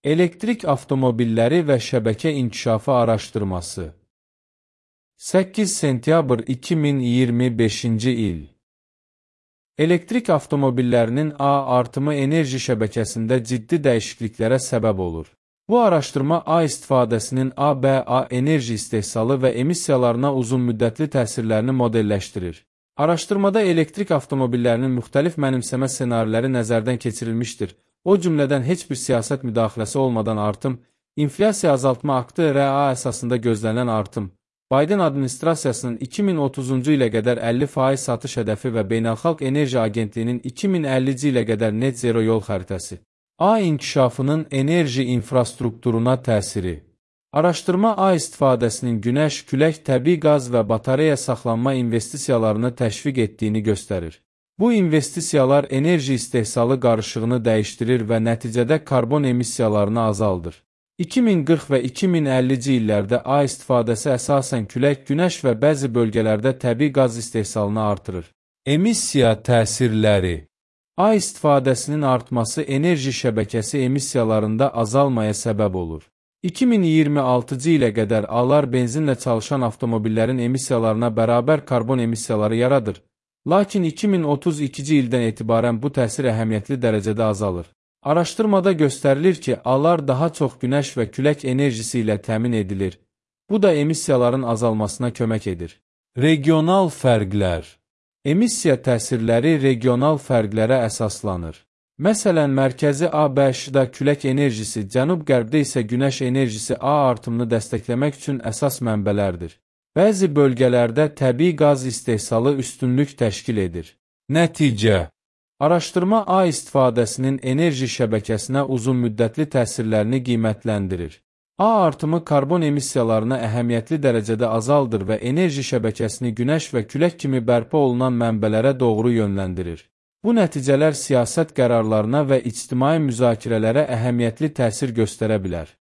Elektrik avtomobilləri və şəbəkə inkişafı araşdırması. 8 sentyabr 2025-ci il. Elektrik avtomobillərinin artımı enerji şəbəkəsində ciddi dəyişikliklərə səbəb olur. Bu araşdırma istifadəsinin enerji istehsalı və emissiyalarına uzunmüddətli təsirlərini modelləşdirir. Araşdırmada elektrik avtomobillərinin müxtəlif mənimsəmə ssenariləri nəzərdən keçirilmişdir. O cümlədən heç bir siyasət müdaxiləsi olmadan artım, inflyasiya azaltma aktı RA əsasında gözlənilən artım, Biden administrasiyasının 2030-cu ilə qədər 50% satış hədəfi və Beynəlxalq Enerji Agentliyinin 2050-ci ilə qədər net zero yol xəritəsi. İnkişafının enerji infrastrukturuna təsiri. Araşdırma istifadəsinin günəş, külək, təbii qaz və batareya saxlanma investisiyalarını təşviq etdiyini göstərir. Bu investisiyalar enerji istehsalı qarışığını dəyişdirir və nəticədə karbon emissiyalarını azaldır. 2040 və 2050-ci illərdə istifadəsi əsasən külək, günəş və bəzi bölgələrdə təbii qaz istehsalını artırır. Emissiya təsirləri. İstifadəsinin artması enerji şəbəkəsi emissiyalarında azalmaya səbəb olur. 2026-cı ilə qədər A-lar benzinlə çalışan avtomobillərin emissiyalarına bərabər karbon emissiyaları yaradır. Lakin 2032-ci ildən etibarən bu təsir əhəmiyyətli dərəcədə azalır. Araşdırmada göstərilir ki, A-lar daha çox günəş və külək enerjisi ilə təmin edilir. Bu da emissiyaların azalmasına kömək edir. Regional fərqlər. Emissiya təsirləri regional fərqlərə əsaslanır. Məsələn, mərkəzi ABŞ-da külək enerjisi, cənub-qərbdə isə günəş enerjisi artımını dəstəkləmək üçün əsas mənbələrdir. Bəzi bölgələrdə təbii qaz istehsalı üstünlük təşkil edir. Nəticə. Araşdırma istifadəsinin enerji şəbəkəsinə uzunmüddətli təsirlərini qiymətləndirir. Artımı karbon emissiyalarına əhəmiyyətli dərəcədə azaldır və enerji şəbəkəsini günəş və külək kimi bərpa olunan mənbələrə doğru yönləndirir. Bu nəticələr siyasət qərarlarına və ictimai müzakirələrə əhəmiyyətli təsir göstərə bilər.